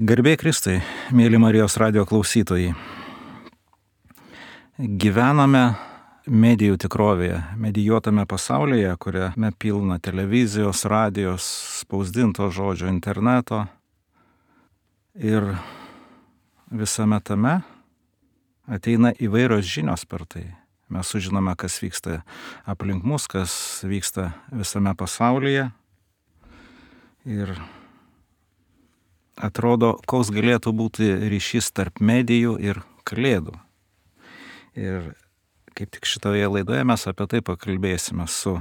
Garbė Kristui, mėly Marijos radijo klausytojai. Gyvename medijų tikrovėje, medijuotame pasaulyje, kuriame pilna televizijos, radijos, spausdinto žodžio, interneto. Ir visame tame ateina įvairios žinios per tai. Mes sužinome, kas vyksta aplink mus, kas vyksta visame pasaulyje. Ir atrodo, koks galėtų būti ryšys tarp medijų ir kalėdų. Ir kaip tik šitoje laidoje mes apie tai pakalbėsime su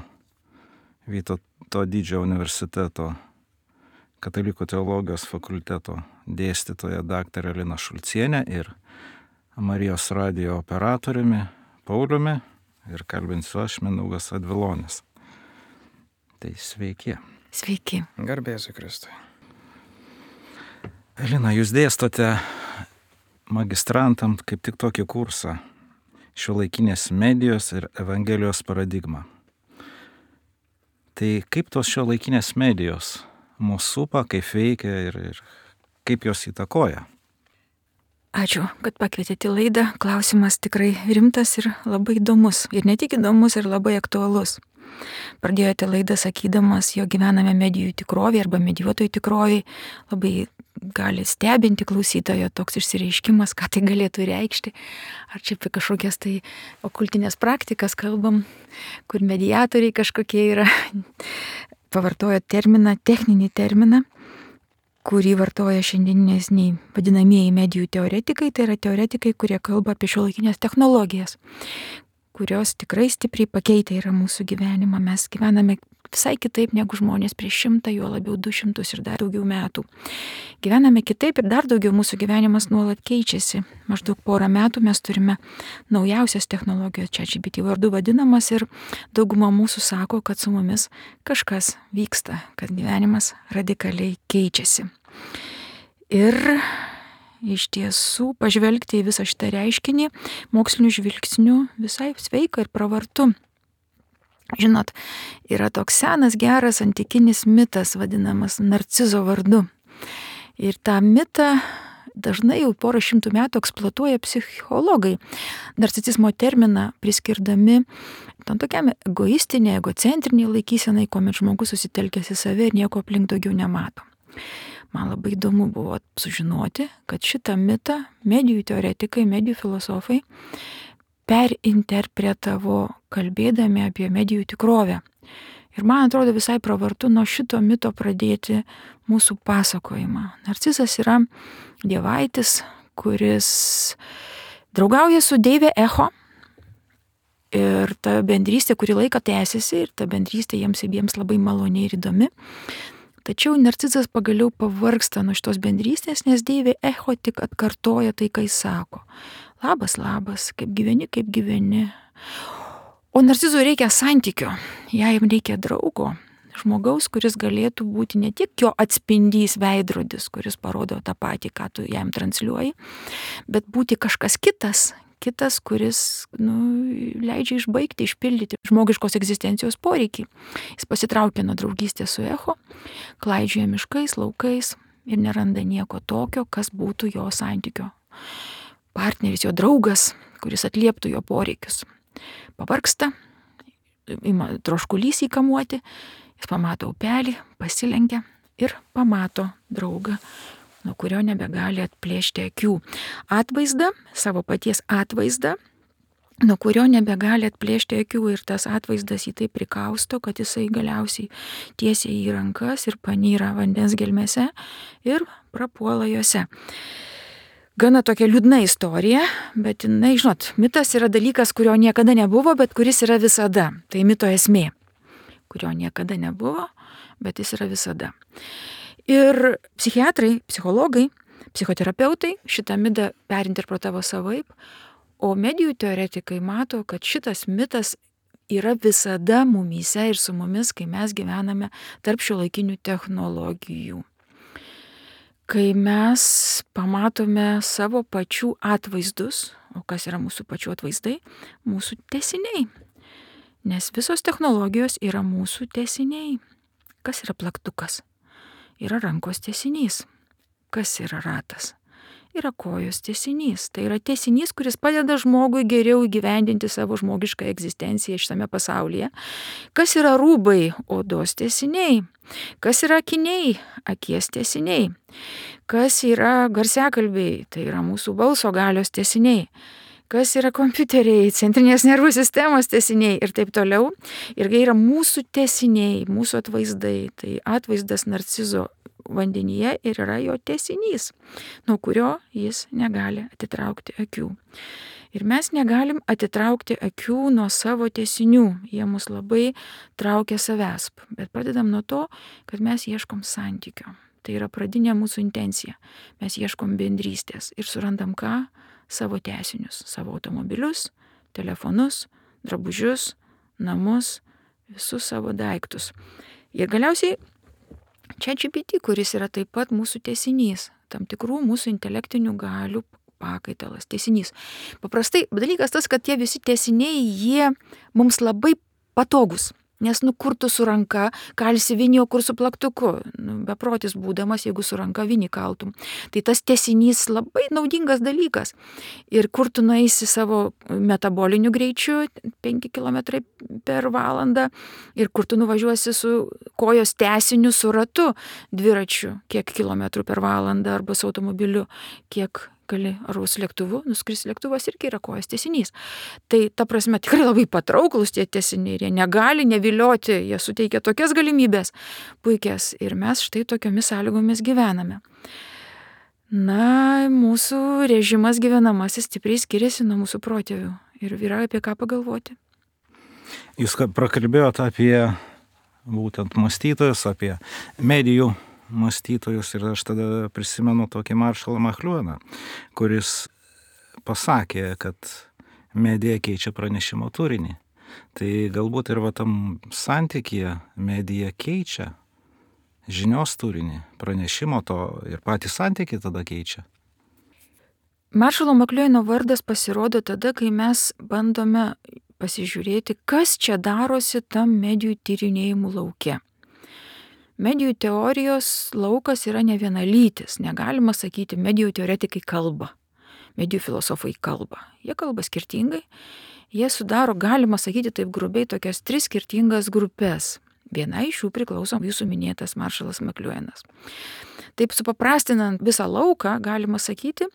Vytauto Didžiojo universiteto Katalikų teologijos fakulteto dėstytoja daktarė Lina Šulcienė ir Marijos radijo operatoriumi Pauliumi ir kalbinsiu aš, Mindaugas Advilonis. Tai sveiki. Sveiki. Garbėsiu Kristui. Lina, jūs dėstote magistrantam kaip tik tokį kursą šiuolaikinės medijos ir Evangelijos paradigma. Tai kaip tos šiuolaikinės medijos mūsų supa, kaip veikia ir kaip jos įtakoja? Ačiū, kad pakvietėte į laidą. Klausimas tikrai rimtas ir labai įdomus. Ir ne tik įdomus, ir labai aktualus. Pradėjote laidą sakydamas, jo gyvename medijų tikrovėje arba medijuotojų tikrovėje. Labai gali stebinti klausytojo toks išsireiškimas, ką tai galėtų reikšti. Ar čia apie kažkokias tai okultinės praktikas kalbam, kur mediatoriai kažkokie yra. Pavartojo terminą, techninį terminą, kurį vartoja šiandieniniai vadinamieji medijų teoretikai. Tai yra teoretikai, kurie kalba apie šiuolaikinės technologijas, kurios tikrai stipriai pakeitę yra mūsų gyvenimą. Mes gyvename visai kitaip negu žmonės prieš 100, juo labiau 200 ir dar daugiau metų. Gyvename kitaip ir dar daugiau mūsų gyvenimas nuolat keičiasi. Maždaug porą metų mes turime naujausias technologijos, ChatGPT vardu vadinamas, ir dauguma mūsų sako, kad su mumis kažkas vyksta, kad gyvenimas radikaliai keičiasi. Ir iš tiesų pažvelgti į visą šitą reiškinį mokslinių žvilgsnių visai sveika ir pravartu. Žinot, yra toks senas, geras antikinis mitas vadinamas Narcizo vardu. Ir tą mitą dažnai jau porą šimtų metų eksploatuoja psichologai. Narcisizmo terminą priskirdami tam tokiam egoistinė, egocentriniai laikysenai, kuomet žmogus susitelkęs į save ir nieko aplink daugiau nemato. Man labai įdomu buvo sužinoti, kad šitą mitą medijų teoretikai, medijų filosofai perinterpretavo kalbėdami apie medijų tikrovę. Ir man atrodo visai pravartu nuo šito mito pradėti mūsų pasakojimą. Narcizas yra dievaitis, kuris draugauja su deivė Echo. Ir ta bendrystė kurį laiką tęsiasi ir ta bendrystė jiems abiems labai maloni ir įdomi. Tačiau Narcizas pagaliau pavargsta nuo šitos bendrystės, nes deivė Echo tik atkartoja tai, ką jis sako. Labas, labas, kaip gyveni. O Narcizui reikia santykio, jam reikia draugo, žmogaus, kuris galėtų būti ne tik jo atspindys veidrodis, kuris parodo tą patį, ką tu jam transliuoji, bet būti kažkas kitas, kuris leidžia išbaigti, išpildyti žmogiškos egzistencijos poreikį. Jis pasitraukia nuo draugystės su Echo, klaidžioja miškais, laukais ir neranda nieko tokio, kas būtų jo santykio partneris, jo draugas, kuris atlieptų jo poreikius. Pavargsta, ima troškulys įkamuoti, jis pamato upelį, pasilenkia ir pamato draugą, nuo kurio nebegali atplėšti akių. Atvaizdą, savo paties atvaizdą, nuo kurio nebegali atplėšti akių, ir tas atvaizdas jį taip prikausto, kad jisai galiausiai tiesia į rankas ir panyra vandens gelmėse ir prapuola juose. Gana tokia liūdna istorija, bet jinai, žinot, mitas yra dalykas, kurio niekada nebuvo, bet kuris yra visada. Tai mito esmė, kurio niekada nebuvo, bet jis yra visada. Ir psichiatrai, psichologai, psichoterapeutai šitą mitą perinterpretavo savaip, o medijų teoretikai mato, kad šitas mitas yra visada mumyse ir su mumis, kai mes gyvename tarp šiuolaikinių technologijų. Kai mes pamatome savo pačių atvaizdus, o kas yra mūsų pačių atvaizdai? Mūsų tęsiniai. Nes visos technologijos yra mūsų tęsiniai. Kas yra plaktukas? Yra rankos tęsinys. Kas yra ratas? Yra kojos tęsinys. Tai yra tęsinys, kuris padeda žmogui geriau įgyvendinti savo žmogišką egzistenciją šitame pasaulyje. Kas yra rūbai? Odos tęsiniai. Kas yra akiniai? Akies tęsiniai. Kas yra garsiakalbiai? Tai yra mūsų balso galios tęsiniai. Kas yra kompiuteriai, centrinės nervų sistemos tęsiniai ir taip toliau. Ir tai yra mūsų tęsiniai, mūsų atvaizdai. Tai atvaizdas narcizo vandenyje ir yra jo tęsinys, nuo kurio jis negali atitraukti akių. Ir mes negalim atitraukti akių nuo savo tęsinių. Jie mus labai traukia savęs. Bet pradedam nuo to, kad mes ieškom santykio. Tai yra pradinė mūsų intencija. Mes ieškom bendrystės ir surandam ką? Savo tęsinius, savo automobilius, telefonus, drabužius, namus, visus savo daiktus. Ir galiausiai ChatGPT, kuris yra taip pat mūsų tęsinys, tam tikrų mūsų intelektinių galių pakaitalas, tęsinys. Paprastai dalykas tas, kad tie visi tęsiniai, jie mums labai patogus. Nes kur tu su ranka kalsi vinį, o kur su plaktuku. Beprotis būdamas, jeigu su ranka vinį kaltum. Tai tas tęsinys labai naudingas dalykas. Ir kur tu nueisi savo metaboliniu greičiu, 5 km per valandą, ir kur tu nuvažiuosi su kojos tęsiniu, su ratu, dviračiu, kiek kilometrų per valandą, arba su automobiliu, kiek gali, ar su lėktuvu, nuskris lėktuvas irgi yra kojos tęsinys. Tai ta prasme tikrai labai patrauklus tie tęsiniai, jie negali nevilioti, jie suteikia tokias galimybės puikias ir mes štai tokiomis sąlygomis gyvename. Na, mūsų režimas gyvenamasis stipriai skiriasi nuo mūsų protėvių ir yra apie ką pagalvoti. Jūs prakalbėjote apie būtent mąstytojus, apie medijų mąstytojus ir aš tada prisimenu tokį Marshallą McLuhaną, kuris pasakė, kad medija keičia pranešimo turinį. Tai galbūt ir tam santykyje medija keičia žinios turinį, pranešimo to ir patį santykį tada keičia. Marshalo McLuhano vardas pasirodo tada, kai mes bandome pasižiūrėti, kas čia darosi tam medijų tyrinėjimų lauke. Medijų teorijos laukas yra ne vienalytis. Negalima sakyti, medijų teoretikai kalba, medijų filosofai kalba. Jie kalba skirtingai. Jie sudaro, galima sakyti taip grubiai, tokias 3 skirtingas grupės. Viena iš jų priklauso jūsų minėtas Marshallas McLuhanas. Taip supaprastinant visą lauką, galima sakyti,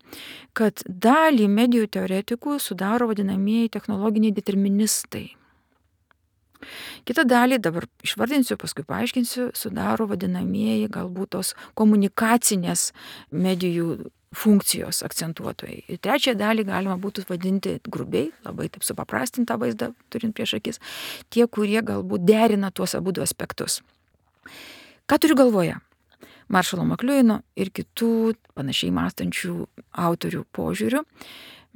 kad dalį medijų teoretikų sudaro vadinamieji technologiniai deterministai. Kitą dalį, dabar išvardinsiu, paskui paaiškinsiu, sudaro vadinamieji galbūt tos komunikacinės medijų funkcijos akcentuotojai. Ir trečią dalį galima būtų vadinti grubiai, labai taip supaprastintą vaizdą turint prieš akis, tie, kurie galbūt derina tuos abudu aspektus. Ką turiu galvoje? Marshalo McLuhano ir kitų panašiai mąstančių autorių požiūrių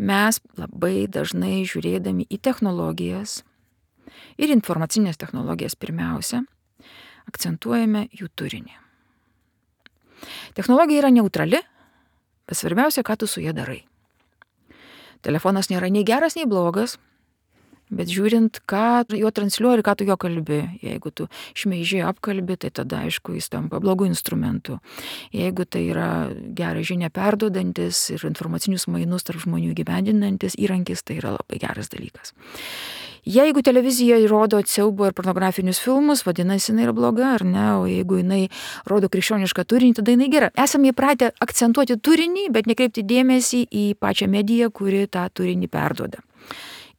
mes labai dažnai žiūrėdami į technologijas ir informacinės technologijas pirmiausia, akcentuojame jų turinį. Technologija yra neutrali, bet svarbiausia, ką tu su ja darai. Telefonas nėra nei geras, nei blogas, bet žiūrint, ką jo transliuoji ir ką tu jo kalbi. Jeigu tu šmeižiai apkalbi, tai tada, aišku, jis tampa blogų instrumentų. Jeigu tai yra gerą žinią perduodantis ir informacinius mainus tarp žmonių įgyvendinantis įrankis, tai yra labai geras dalykas. Jeigu televizija rodo siaubo ir pornografinius filmus, vadinasi, jinai yra bloga, ar ne? O jeigu jinai rodo krikščionišką turinį, tada jinai gera. Esame įpratę akcentuoti turinį, bet nekreipti dėmesį į pačią mediją, kuri tą turinį perduoda.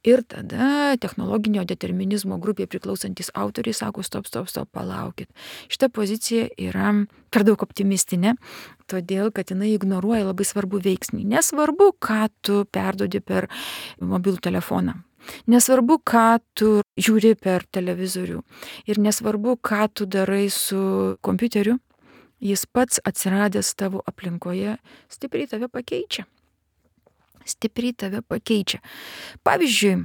Ir tada technologinio determinizmo grupėje priklausantis autoriai sako, stop, palaukit. Šita pozicija yra per daug optimistinė, todėl, kad jinai ignoruoja labai svarbų veiksnį. Nesvarbu, ką tu perduodi per mobilų telefoną. Nesvarbu, ką tu žiūri per televizorių. Ir nesvarbu, ką tu darai su kompiuteriu, jis pats atsiradęs tavo aplinkoje stipriai tave pakeičia. Pavyzdžiui,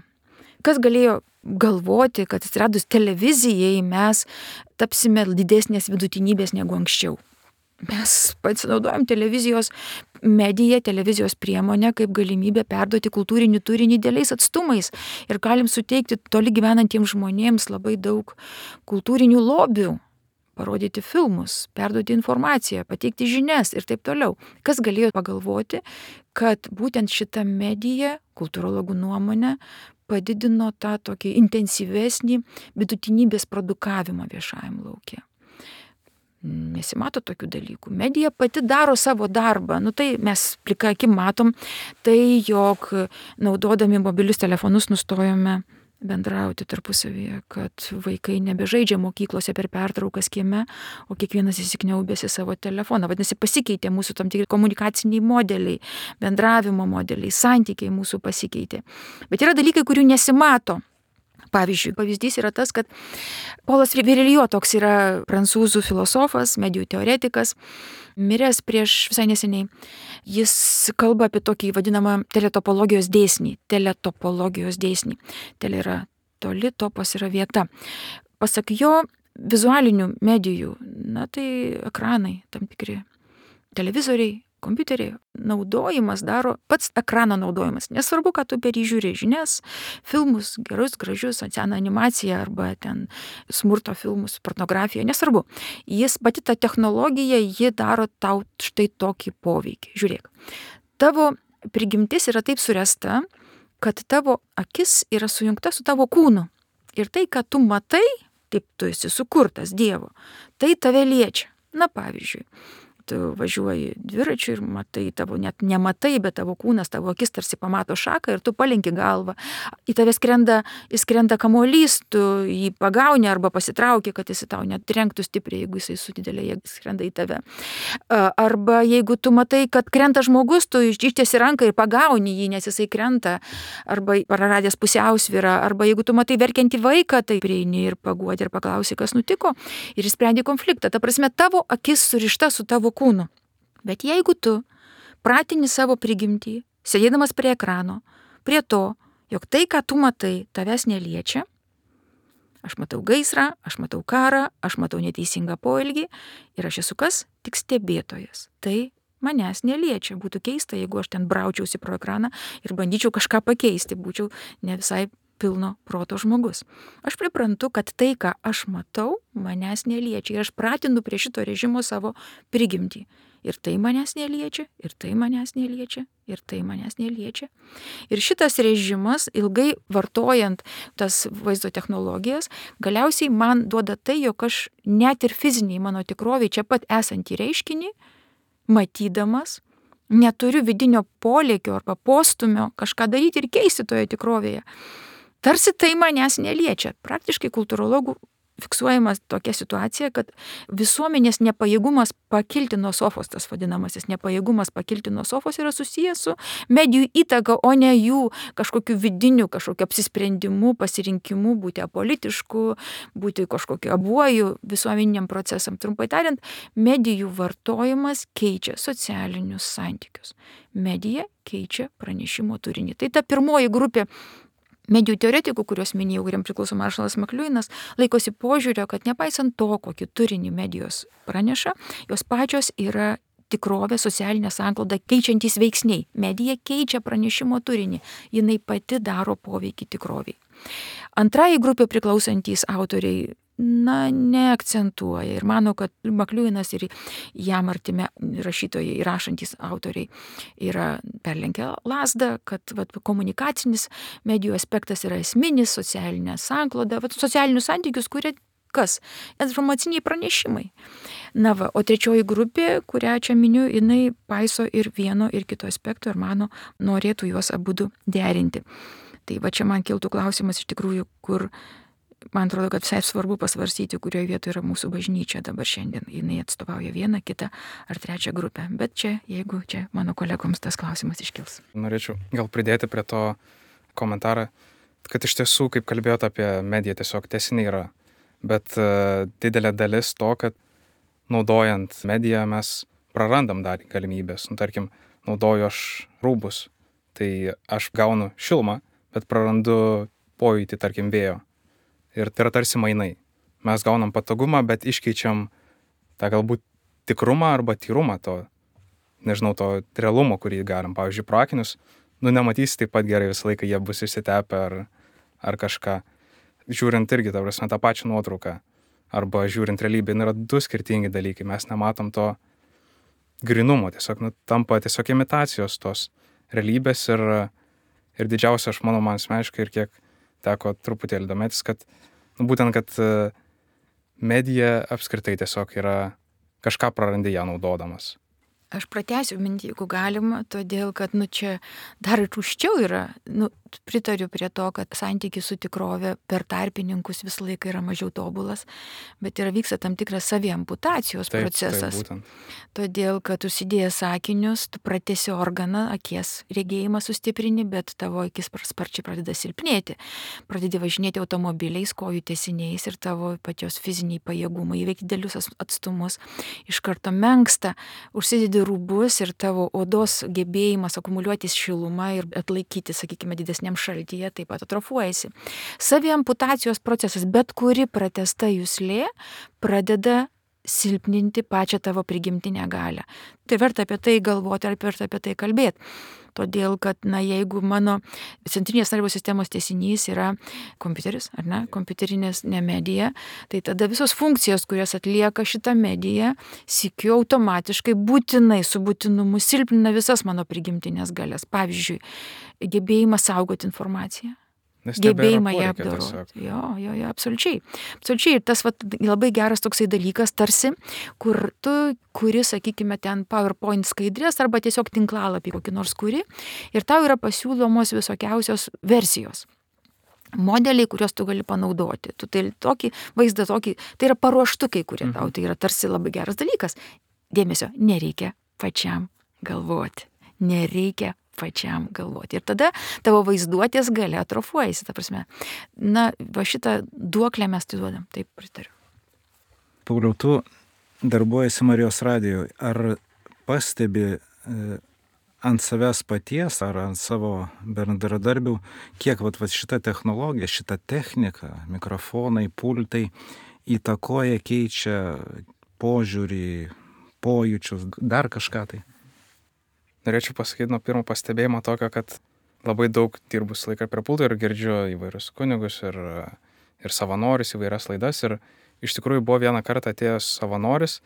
kas galėjo galvoti, kad atsiradus televizijai mes tapsime didesnės vidutinybės negu anksčiau. Mes pasinaudojam televizijos mediją, televizijos priemonę kaip galimybę perduoti kultūrinį turinį dideliais atstumais ir galim suteikti toli gyvenantiems žmonėms labai daug kultūrinių lobių. parodyti filmus, perduoti informaciją, pateikti žinias ir taip toliau. Kas galėjo pagalvoti, kad būtent šita medija, kultūrologų nuomonė, padidino tą tokį intensyvesnį vidutinybės produkavimą viešajam lauke. Nesimato tokių dalykų. Medija pati daro savo darbą. Tai mes plika akim matom, tai jog naudodami mobilius telefonus nustojome bendrauti tarpusavyje, kad vaikai nebežaidžia mokyklose per pertraukas kieme, o kiekvienas įsikniaubęs į savo telefoną. Vadinasi, pasikeitė mūsų tam tikri komunikaciniai modeliai, bendravimo modeliai, santykiai mūsų pasikeitė. Bet yra dalykai, kurių nesimato. Pavyzdžiui, pavyzdys yra tas, kad Polas Virilio, toks yra prancūzų filosofas, medijų teoretikas, miręs prieš visai neseniai. Jis kalba apie tokį vadinamą teletopologijos dėsnį. Tele yra toli, topas yra vieta. Pasak jo, vizualinių medijų, tai ekranai, tam tikri televizoriai, kompiuteriai, naudojimas daro pats ekrano naudojimas. Nesvarbu, kad tu per jį žiūri žinias, filmus, gerus, gražius, seną animaciją arba ten smurto filmus, pornografiją, nesvarbu. Pati ta technologija, ji daro tau štai tokį poveikį. Žiūrėk, tavo prigimtis yra taip suresta, kad tavo akis yra sujungta su tavo kūnu. Ir tai, ką tu matai, taip tu esi sukurtas Dievo, tai tave liečia. Pavyzdžiui, tu važiuoji dviračiu ir matai, tavo net nematai, bet tavo kūnas, tavo akis tarsi pamato šaką ir tu palenki galvą. Į tave skrenda kamuolys, tu jį pagauni arba pasitrauki, kad jis tau net trenktų stipriai, jeigu jisai su didelė jėga skrenda į tave. Arba jeigu tu matai, kad krenta žmogus, tu ištiesi ranką ir pagauni jį, nes jisai krenta, arba praradęs pusiausvyrą, arba jeigu tu matai verkiantį vaiką, tai prieini ir paguodi ir paklausi, kas nutiko, ir išsprendi konfliktą. Ta prasme, tavo akis surišta su tavo kūnu. Bet jeigu tu pratini savo prigimtį, sėdėdamas prie ekrano, prie to, jog tai, ką tu matai, tavęs neliečia, aš matau gaisrą, aš matau karą, aš matau neteisingą poelgį ir aš esu kas? Tik stebėtojas. Tai manęs neliečia. Būtų keista, jeigu aš ten braučiausi pro ekraną ir bandyčiau kažką pakeisti, būčiau ne visai pilno proto žmogus. Aš priprantu, kad tai, ką aš matau, manęs neliečia. Ir aš pratinu prie šito režimo savo prigimtį. Ir tai manęs neliečia, ir tai manęs neliečia, ir tai manęs neliečia. Ir šitas režimas, ilgai vartojant tas vaizdo technologijas, galiausiai man duoda tai, jog aš net ir fiziniai mano tikroviai čia pat esantį reiškinį, matydamas, neturiu vidinio polėkio arba postumio kažką daryti ir keisti toje tikrovėje. Tarsi tai manęs neliečia. Praktiškai kultūrologų fiksuojama tokia situacija, kad visuomenės nepajėgumas pakilti nuo sofos, tas vadinamasis nepajėgumas pakilti nuo sofos yra susijęs su medijų įtaka, o ne jų kažkokiu vidiniu, kažkokiu apsisprendimu, pasirinkimu būti apolitišku, būti kažkokiu abuoju visuomeniniam procesam. Trumpai tariant, medijų vartojimas keičia socialinius santykius. Medija keičia pranešimo turinį. Tai ta pirmoji grupė medijų teoretikų, kuriuos minėjau, kuriam priklauso Marshalas McLuhanas, laikosi požiūrio, kad nepaisant to, kokį turinį medijos praneša, jos pačios yra tikrovė, socialinė sankloda keičiantys veiksniai. Medija keičia pranešimo turinį, jinai pati daro poveikį tikroviai. Antrai grupė priklausantys autoriai neakcentuoja ir mano, kad McLuhanas ir jam artimi rašytojai, rašantys autoriai yra perlenkę lazdą, kad komunikacinis medijų aspektas yra esminis, socialinė sankloda, socialinius santykius kuria kas? Informaciniai pranešimai. O trečioji grupė, kurią čia miniu, jinai paiso ir vieno, ir kito aspekto ir mano norėtų juos abudu derinti. Tai čia man kiltų klausimas iš tikrųjų, kur man atrodo, kad visai svarbu pasvarstyti, kurioje vietoje yra mūsų bažnyčia dabar šiandien. Jinai atstovauja vieną, kitą ar trečią grupę. Bet jeigu mano kolegoms tas klausimas iškils. Norėčiau gal pridėti prie to komentarą, kad iš tiesų, kaip kalbėjote apie mediją, tiesiog tęsiniai yra. Bet didelė dalis to, kad naudojant mediją mes prarandam dar galimybės. Tarkim, naudoju aš rūbus, tai aš gaunu šilumą, bet prarandu pojūtį, tarkim, vėjo. Ir tai yra tarsi mainai. Mes gaunam patogumą, bet iškeičiam tą galbūt tikrumą arba tyrumą to realumo, kurį galim. Pavyzdžiui, pro akinius, nematysi taip pat gerai visą laiką, jie bus išsitepę ar kažką. Žiūrint irgi, tą pačią nuotrauką. arba žiūrint realybę, yra du skirtingi dalykai. Mes nematom to grinumo, tiesiog tampa tiesiog imitacijos tos realybės ir didžiausia, aš manau, man asmeniškai ir kiek teko truputėlį domėtis, kad būtent, kad medija apskritai tiesiog yra kažką prarandi ją naudodamas. Aš pratęsiu mintį, jeigu galima, todėl, kad čia dar ir užčiau yra, pritariu prie to, kad santykis su tikrove per tarpininkus visą laiką yra mažiau tobulas, bet vyksta tam tikras saviamputacijos procesas. Taip, būtent. Todėl, kad užsidėjęs sakinius, tu pratesi organą, akies regėjimą sustiprini, bet tavo akis sparčiai pradeda silpnėti. Pradedi važinėti automobiliais, kojų tęsiniais ir tavo pačios fiziniai pajėgumai įveikti didelius atstumus iš karto menksta, užsidedi rūbus ir tavo odos gebėjimas akumuliuotis šilumą ir atlaikyti, sakykime, didesniam šaltyje taip pat atrofuojasi. Saviamputacijos procesas, bet kuri pratęsta juslė pradeda silpninti pačią tavo prigimtinę galią. Tai verta apie tai galvoti ar verta apie tai kalbėti. Todėl, kad, jeigu mano centrinės nervų sistemos tęsinys yra kompiuteris, ar ne, kompiuterinės medija, tai tada visos funkcijos, kurias atlieka šitą mediją, sykiu automatiškai būtinai su būtinumu silpnina visas mano prigimtinės galias. Pavyzdžiui, gebėjimas saugoti informaciją. Gebėjimą ją apdoroti. Jo, absoliučiai. Absoliučiai. Ir tas labai geras toksai dalykas, tarsi, kur tu kuri, sakykime, ten PowerPoint skaidrės arba tiesiog tinklalapį kokį nors kuri ir tau yra pasiūlomos visokiausios versijos. Modeliai, kuriuos tu gali panaudoti. Tu tai tokį vaizdą, tai yra paruoštukai, kurie tau, tai yra tarsi labai geras dalykas. Dėmesio, nereikia pačiam galvoti. Nereikia pačiam galvoti. Ir tada tavo vaizduotės galia atrofuojasi, ta prasme. Va šitą duoklę mes tai duodam, taip pritariu. Pauliau, tu darbuojasi Marijos radijoje. Ar pastebi ant savęs paties ar ant savo bendradarbių, kiek šita technologija, šita technika, mikrofonai, pultai įtakoja, keičia požiūrį, pojūčius, dar kažką tai? Norėčiau pasakyti nuo pirmo pastebėjimo tokio, kad labai daug dirbus laiką prie pulto ir girdžiu įvairius kunigus ir savanorius, įvairias laidas. Ir iš tikrųjų buvo vieną kartą atėjęs savanoris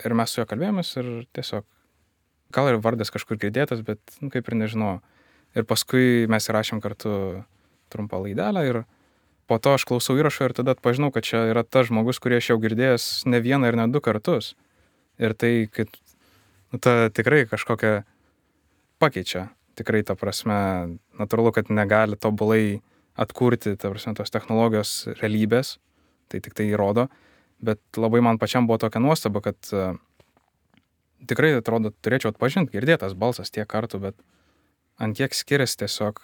ir mes su juo kalbėjomės ir tiesiog, gal ir vardas kažkur girdėtas, bet kaip ir nežinau. Ir paskui mes įrašėm kartu trumpą laidelę ir po to aš klausau įrašo ir tada atpažinau, kad čia yra tas žmogus, kurį aš jau girdėjęs ne vieną ir ne du kartus. Ir tai, kad ta tikrai kažkokia pakeičia. Tikrai, ta prasme, natūralu, kad negali tobulai atkurti, ta prasme, tos technologijos realybės, tai tik tai įrodo, bet labai man pačiam buvo tokia nuostaba, kad tikrai, atrodo, turėčiau atpažinti, girdėtas balsas tiek kartų, bet ant kiek skiriasi tiesiog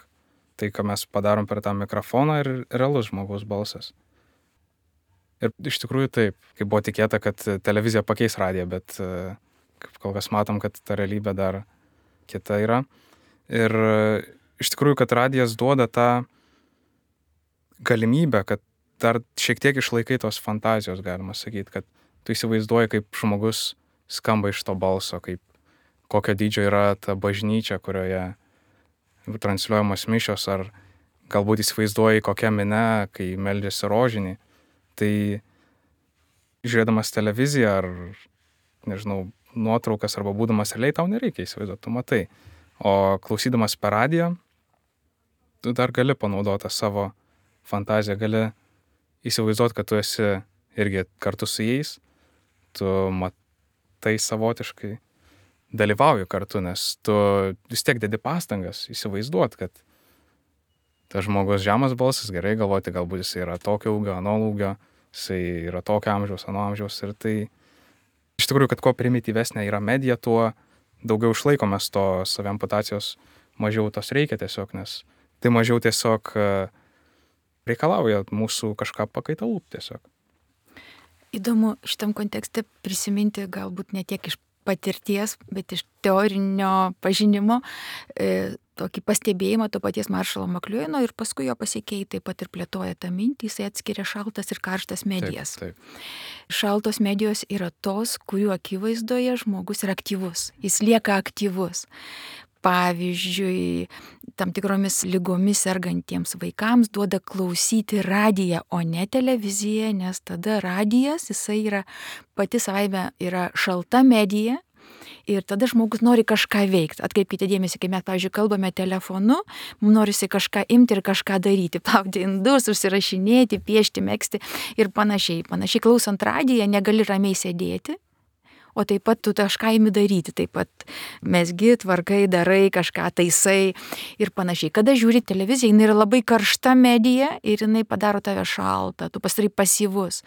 tai, ką mes padarom per tą mikrofoną ir realus žmogaus balsas. Ir iš tikrųjų taip, kaip buvo tikėta, kad televizija pakeis radiją, bet kaip kol kas matom, kad ta realybė dar kita yra. Ir iš tikrųjų, kad radijas duoda tą galimybę, kad dar šiek tiek išlaikai tos fantazijos, galima sakyti, kad tu įsivaizduoji, kaip žmogus skamba iš to balso, kaip kokio dydžio yra ta bažnyčia, kurioje transliuojamos mišios, ar galbūt įsivaizduoji kokia minia, kai meldžiasi rožinį. Tai žiūrėdamas televiziją ar, nežinau, nuotraukas arba būdamas realiai, tau nereikia įsivaizduoti, tu matai. O klausydamas per radiją, tu dar gali panaudoti savo fantaziją, gali įsivaizduoti, kad tu esi irgi kartu su jais, tu matai savotiškai, dalyvauji kartu, nes tu vis tiek dedi pastangas įsivaizduoti, kad tas žmogus žemas balsas, gerai galvoti, galbūt jis yra tokio ūgio, ano ūgio, jisai yra tokio amžiaus, ano amžiaus ir tai iš tikrųjų, kad kuo primityvesnė yra medija, tuo daugiau išlaikomės to saviamputacijos, mažiau tos reikia tiesiog, nes tai mažiau tiesiog reikalauja mūsų kažką pakaitalų tiesiog. Įdomu šitam kontekste prisiminti galbūt ne tiek iš patirties, bet iš teorinio pažinimo tokį pastebėjimą to paties Maršalo McLuhano ir paskui jo pasekėjai taip pat ir plėtoja tą mintį, jisai atskiria šaltas ir karštas medijas. Taip. Šaltos medijos yra tos, kurių akivaizdoje žmogus yra aktyvus, jis lieka aktyvus. pavyzdžiui, tam tikromis ligomis sergantiems vaikams duoda klausyti radiją, o ne televiziją, nes tada radijas, jisai yra pati savaime yra šalta medija. Ir tada žmogus nori kažką veikti. Atkreipkite dėmesį, kai mes, pavyzdžiui, kalbame telefonu, mums norisi kažką imti ir kažką daryti, plauti indus, užsirašinėti, piešti, megzti ir panašiai. Panašiai klausant radiją negali ramiai sėdėti, o taip pat tu kažką imi daryti, taip pat mesgi, tvarkai, darai, kažką taisai ir panašiai. Kada žiūri televiziją, jinai yra labai karšta medija ir jinai padaro tave šaltą, tu pasidarai pasyvus.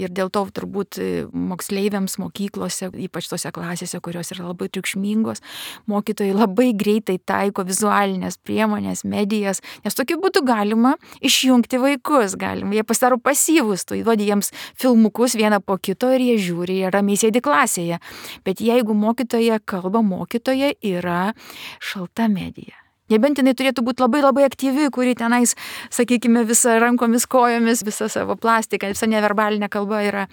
Ir dėl to turbūt moksleiviams mokyklose, ypač tose klasėse, kurios yra labai triukšmingos, mokytojai labai greitai taiko vizualinės priemonės, medijas, nes tokiu būdu galima išjungti vaikus, jie pasidaro pasyvus, tu įduodi jiems filmukus vieną po kito ir jie žiūri, jie ramiai sėdi klasėje. Bet jeigu mokytoja kalba, mokytoja yra šalta medija. Nebent jinai turėtų būti labai labai aktyvi, kuri tenais, sakykime, visa rankomis, kojomis, visa savo plastika, visa neverbalinė kalba yra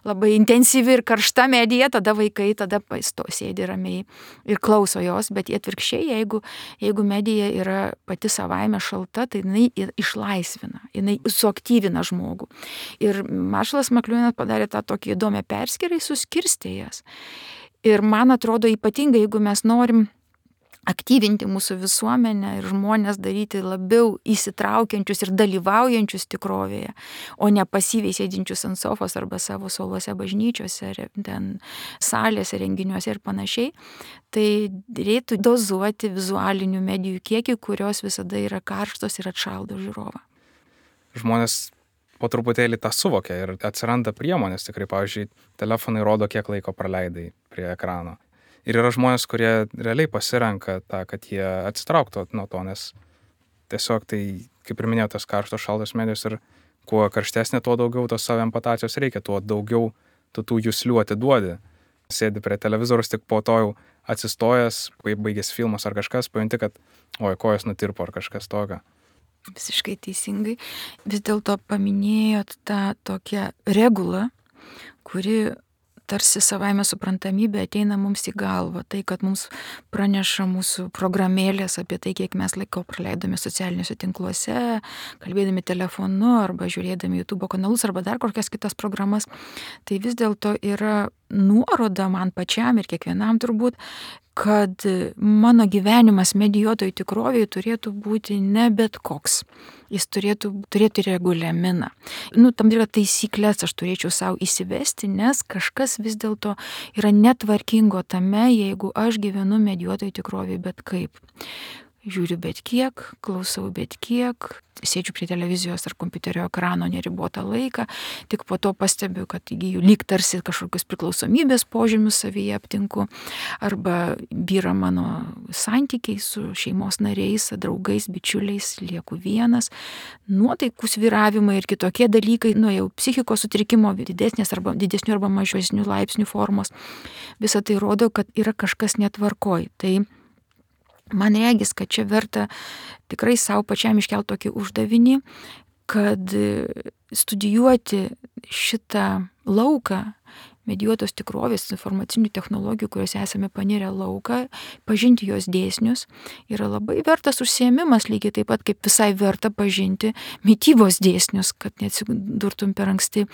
labai intensyvi ir karšta medija, tada vaikai tada sėdi ramiai ir klauso jos, bet atvirkščiai, jeigu medija yra pati savaime šalta, tai jinai išlaisvina, jinai suaktyvina žmogų. Ir Maršalas McLuhanas padarė tą tokį įdomią perskyrą, suskirstė jas. Ir man atrodo ypatingai, jeigu mes norim aktyvinti mūsų visuomenę ir žmonės daryti labiau įsitraukiančius ir dalyvaujančius tikrovėje, o ne pasyviai sėdinčius ant sofos arba savo suoluose bažnyčiose, ten salėse, renginiuose ir panašiai, tai reiktų dozuoti vizualinių medijų kiekį, kurios visada yra karštos ir atšaldo žiūrovą. Žmonės po truputėlį tą suvokia ir atsiranda priemonės, tikrai, pavyzdžiui, telefonai rodo, kiek laiko praleidai prie ekrano. Ir yra žmonės, kurie realiai pasirenka tą, kad jie atsitrauktų nuo to, nes tiesiog tai, kaip ir minėjau, tas karštos šaltos medijos ir kuo karštesnė, tuo daugiau tos saviempatacijos reikia, tuo daugiau tu tų juslių atiduodi. Sėdi prie televizoriaus, tik po to jau atsistojęs, kai baigės filmas ar kažkas, pajunti, kad kojas nutirpo ar kažkas tokio. Visiškai teisingai. Vis dėlto paminėjot tą tokią regulą, kuri tarsi savaime suprantamybė ateina mums į galvą. Tai, kad mums praneša mūsų programėlės apie tai, kiek mes laiko praleidome socialiniuose tinkluose, kalbėdami telefonu arba žiūrėdami YouTube kanalus arba dar kokias kitas programas, tai vis dėlto yra nuoroda man pačiam ir kiekvienam turbūt, kad mano gyvenimas medijuotojų tikrovėje turėtų būti ne bet koks. Jis turėtų turėti reguliaminą. Tam tikrą taisyklės aš turėčiau savo įsivesti, nes kažkas vis dėlto yra netvarkingo tame, jeigu aš gyvenu medijuotojų tikrovėje bet kaip. Žiūriu bet kiek, klausau bet kiek, sėdžiu prie televizijos ar kompiuterio ekrano neribotą laiką, tik po to pastebiu, kad įgyju lyg tarsi kažkokius priklausomybės požymius savyje aptinku, arba byra mano santykiai su šeimos nariais, draugais, bičiuliais, lieku vienas, nuotaikų svyravimai ir kitokie dalykai, jau psichikos sutrikimo didesnių arba mažesnių laipsnių formos. Visa tai rodo, kad yra kažkas netvarkoj. Tai man regis, kad čia verta tikrai savo pačiam iškelti tokį uždavinį, kad studijuoti šitą lauką medijuotos tikrovės, informacinių technologijų, kuriuose esame panirę lauką, pažinti jos dėsnius, yra labai vertas užsiėmimas, lygiai taip pat kaip visai verta pažinti mitybos dėsnius, kad neatsidurtum per anksti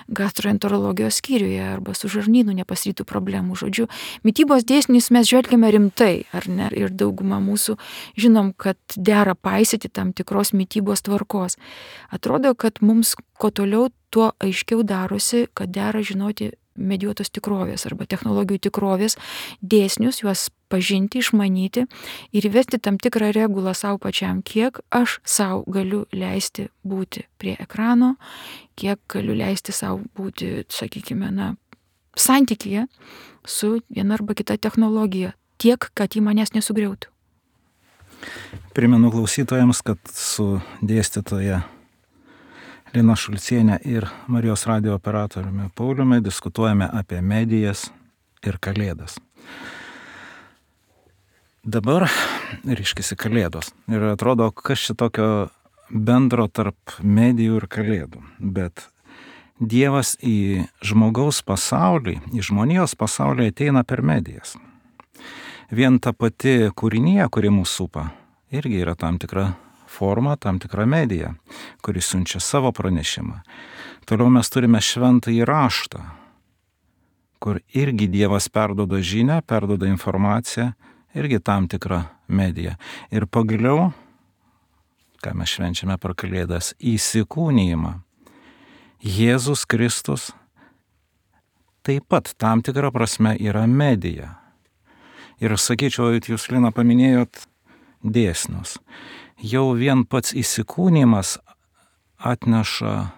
gastroenterologijos skyriuje arba su žarnynu nepasirytų problemų. Žodžiu, mitybos dėsnius mes žvelgiame rimtai, ar ne? Ir dauguma mūsų žinom, kad dera paisyti tam tikros mitybos tvarkos. Atrodo, kad mums kuo toliau, tuo aiškiau darosi, kad dera žinoti medijuotos tikrovės arba technologijų tikrovės dėsnius, juos pažinti, išmanyti ir įvesti tam tikrą regulą savo pačiam, kiek aš savo galiu leisti būti prie ekrano, kiek galiu leisti savo būti, sakykime, santykyje su viena arba kita technologija, tiek, kad ji manęs nesugriautų. Primenu klausytojams, kad su dėstytoja Lina Šulcienė ir Marijos radijo operatoriumi Pauliumi diskutuojame apie medijas ir kalėdas. Dabar ryškisi kalėdos. Ir atrodo, kas čia tokio bendro tarp medijų ir kalėdų. Bet Dievas į žmogaus pasaulį, į žmonijos pasaulį ateina per medijas. vien ta pati kūrinija, kuri mūsų supa, irgi yra tam tikra forma, tam tikra medija, kuri siunčia savo pranešimą. Toliau mes turime šventąjį raštą, kur irgi Dievas perduoda žinią, perduoda informaciją, irgi tam tikra medija. Ir pagaliau, ką mes švenčiame per Kalėdas, įsikūnijimą. Jėzus Kristus taip pat tam tikrą prasme yra medija. Ir sakyčiau, jūs, Lina, paminėjot dėsnius. Jau vien pats įsikūnijimas atneša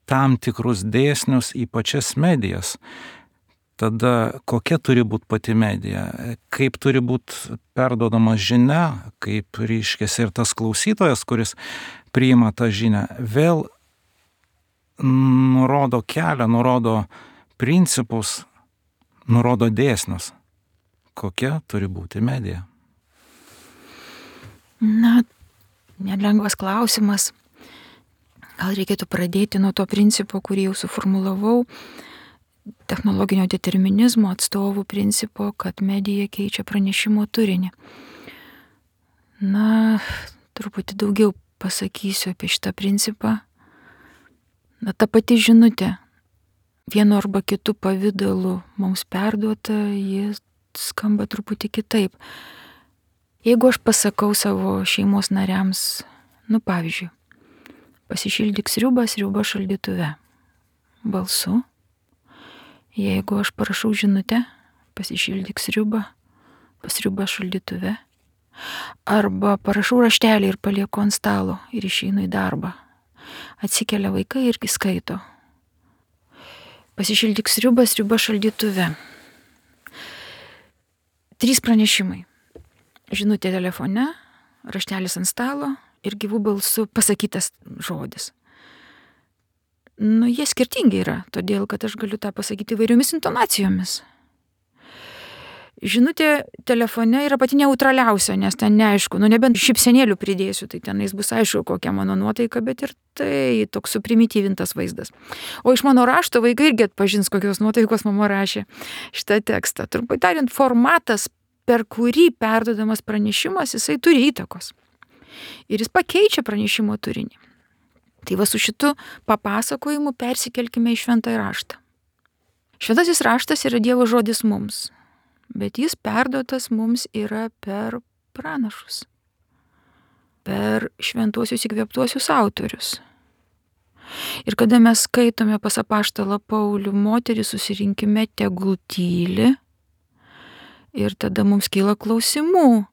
tam tikrus dėsnius į pačias medijas. Tada kokia turi būti pati medija, kaip turi būti perduodama žinia, kaip reiškiasi ir tas klausytojas, kuris priima tą žinią, vėl nurodo kelią, nurodo principus, nurodo dėsnius. Kokia turi būti medija? Na, nelengvas klausimas. Gal reikėtų pradėti nuo to principo, kurį jau suformulavau, technologinio determinizmo atstovų principo, kad medija keičia pranešimo turinį. Na, truputį daugiau pasakysiu apie šitą principą. Na, ta pati žinutė, vienu arba kitu pavidalu mums perduota, ji skamba truputį kitaip. Jeigu aš pasakau savo šeimos nariams, pavyzdžiui, pasišildyk sriubą šaldytuve balsu. Jeigu aš parašau žinutę, pasišildyk sriubą šaldytuve. Arba parašau raštelį ir palieku ant stalo ir išeinu į darbą. Atsikelia vaikai irgi skaito. Pasišildyk sriubą šaldytuve. 3 pranešimai. Žinutė telefone, raštelis ant stalo ir gyvų balsų pasakytas žodis. Jie skirtingi yra, todėl kad aš galiu tą pasakyti įvairiomis intonacijomis. Žinutė telefone yra pati neutraliausia, nes ten neaišku, nebent šypsenėlių pridėsiu, tai tenais bus aišku, kokia mano nuotaika, bet ir tai toks suprimityvintas vaizdas. O iš mano rašto vaikai irgi atpažins, kokios nuotaikos mama rašė šitą tekstą. Trumpai tariant, formatas, per kurį perduodamas pranešimas, jisai turi įtakos. Ir jis pakeičia pranešimo turinį. Tai va su šitu papasakojimu persikelkime į šventąjį raštą. Šventasis raštas yra Dievo žodis mums, bet jis perduotas mums yra per pranašus, per šventuosius įkvėptuosius autorius. Ir kada mes skaitome pas apaštalą Paulių, moterys susirinkime tegul tyli, ir tada mums kyla klausimų,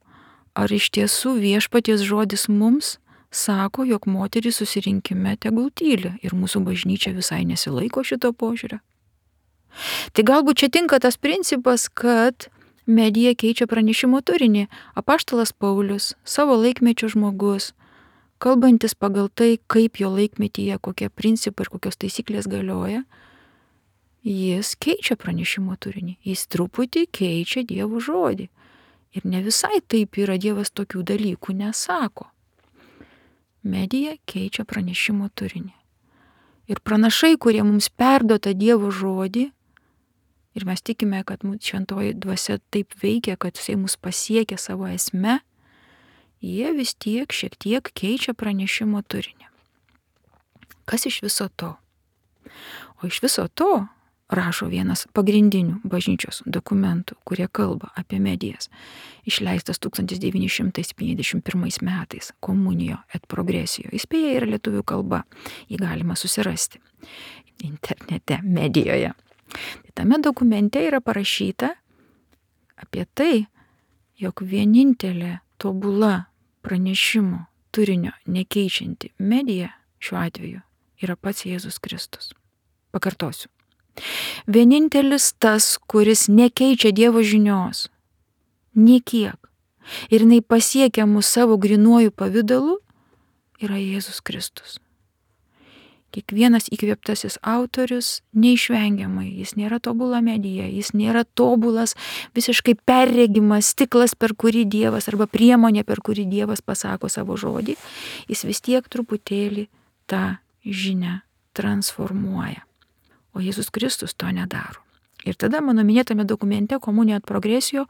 ar iš tiesų viešpaties žodis mums sako, jog moterys susirinkime tegul tyli ir mūsų bažnyčia visai nesilaiko šito požiūrio. Tai galbūt čia tinka tas principas, kad medija keičia pranešimo turinį. Apaštalas Paulius, savo laikmečio žmogus, kalbantis pagal tai, kaip jo laikmetyje, kokie principai ir kokios taisyklės galioja, jis keičia pranešimo turinį. Jis truputį keičia Dievo žodį. Ir ne visai taip yra, Dievas tokių dalykų nesako. Medija keičia pranešimo turinį. Ir pranašai, kurie mums perduota Dievo žodį, ir mes tikime, kad šventoji dvasia taip veikia, kad jisai mus pasiekia savo esme, jie vis tiek šiek tiek keičia pranešimo turinį. Kas iš viso to? O iš viso to rašo vienas pagrindinių bažnyčios dokumentų, kurie kalba apie medijas, išleistas 1951 metais, Communio et Progressio. Jis beje yra lietuvių kalba, jį galima susirasti internete, medijoje. Tai tame dokumente yra parašyta apie tai, jog vienintelė tobula pranešimo turinio nekeičianti medija šiuo atveju yra pats Jėzus Kristus. Pakartosiu. Vienintelis tas, kuris nekeičia Dievo žinios, niekiek, ir jinai pasiekia mus savo grynuoju pavidalu, yra Jėzus Kristus. Kiekvienas įkvėptasis autorius neišvengiamai, jis nėra tobula medija, jis nėra tobulas, visiškai perregimas stiklas, per kurį Dievas, arba priemonė, per kurį Dievas pasako savo žodį, jis vis tiek truputėlį tą žinią transformuoja. O Jėzus Kristus to nedaro. Ir tada mano minėtame dokumente Communio et Progressio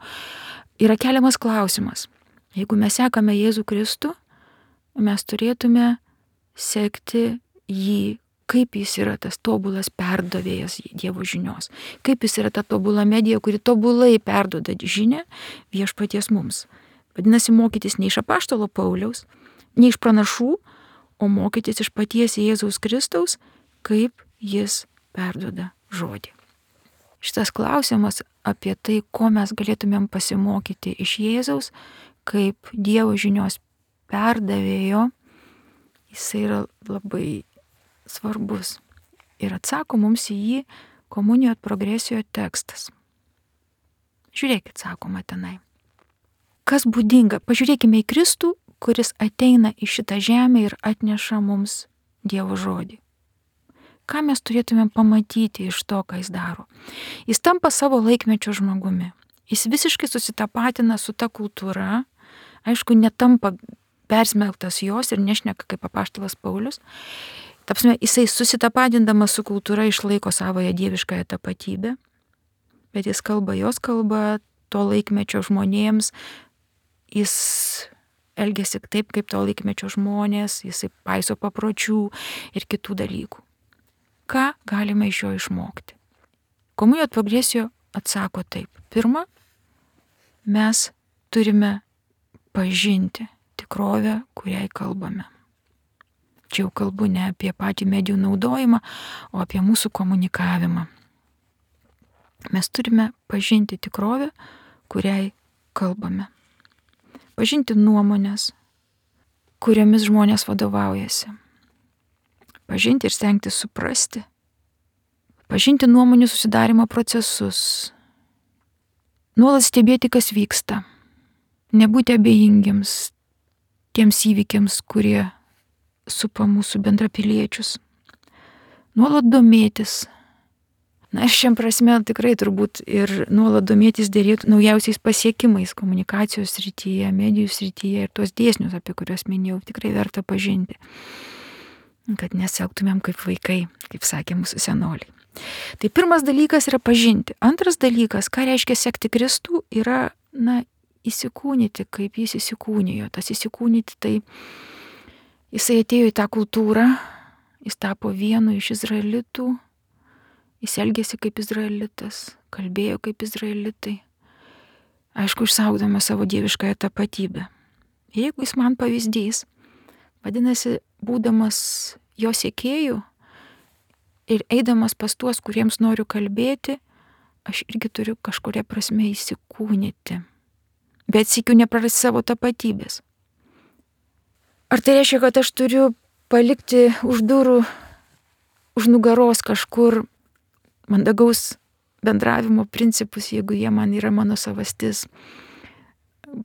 yra keliamas klausimas. Jeigu mes sekame Jėzų Kristų, mes turėtume sekti jį, kaip jis yra tas tobulas perdavėjas Dievo žinios, kaip jis yra ta tobula medija, kuri tobulai perduoda žinią viešpaties mums. Vadinasi, mokytis ne iš apaštalo Pauliaus, ne iš pranašų, o mokytis iš paties Jėzaus Kristaus, kaip jis perduoda žodį. Šitas klausimas apie tai, ko mes galėtumėm pasimokyti iš Jėzaus, kaip Dievo žinios perdavėjo, jisai yra labai svarbus. Ir atsako mums į jį komunijos progresijoje tekstas. Žiūrėkit, sakoma tenai. Kas būdinga? Pažiūrėkime į Kristų, kuris ateina į šitą žemę ir atneša mums Dievo žodį. Ką mes turėtumėm pamatyti iš to, ką jis daro? Jis tampa savo laikmečio žmogumi. Jis visiškai susitapatina su ta kultūra, aišku, netampa persmelktas jos ir nešneka kaip apaštalas Paulius. Tapsime, jisai susitapatindamas su kultūra išlaiko savoje dieviškąją tapatybę, bet jis kalba jos kalba to laikmečio žmonėms, jis elgiasi taip, kaip to laikmečio žmonės, jisai paiso papročių ir kitų dalykų. Ką galime iš jo išmokti? Komunijos progresijo atsako taip. Pirma, mes turime pažinti tikrovę, kuriai kalbame. Čia jau kalbu ne apie patį medijų naudojimą, o apie mūsų komunikavimą. Mes turime pažinti tikrovę, kuriai kalbame. Pažinti nuomonės, kuriomis žmonės vadovaujasi. Pažinti ir stengtis suprasti. Pažinti nuomonių susidarimo procesus. Nuolat stebėti, kas vyksta. Nebūti abejingiams tiems įvykiams, kurie supa mūsų bendrapiliečius. Nuolat domėtis. Na ir šiam prasme tikrai turbūt ir nuolat domėtis dėrėtų naujausiais pasiekimais komunikacijos srityje, medijų srityje ir tuos dėsnius, apie kuriuos minėjau, tikrai verta pažinti. Kad nesielgtumėm kaip vaikai, kaip sakė mūsų senoliai. Tai pirmas dalykas yra pažinti. Antras dalykas, ką reiškia sekti Kristų, yra, įsikūnyti, kaip jis įsikūnijo. Tas įsikūnyti, tai jisai atėjo į tą kultūrą, jis tapo vienu iš izraelitų, jis elgėsi kaip izraelitas, kalbėjo kaip izraelitai, aišku, išsaugdamas savo dieviškąją tapatybę. Jeigu jis man pavyzdys, vadinasi, būdamas jo sekėjų ir eidamas pas tuos, kuriems noriu kalbėti, aš irgi turiu kažkuria prasme įsikūnyti, bet sykiu neprarasti savo tapatybės. Ar tai reiškia, kad aš turiu palikti už durų, už nugaros kažkur mandagaus bendravimo principus, jeigu jie man yra mano savastis?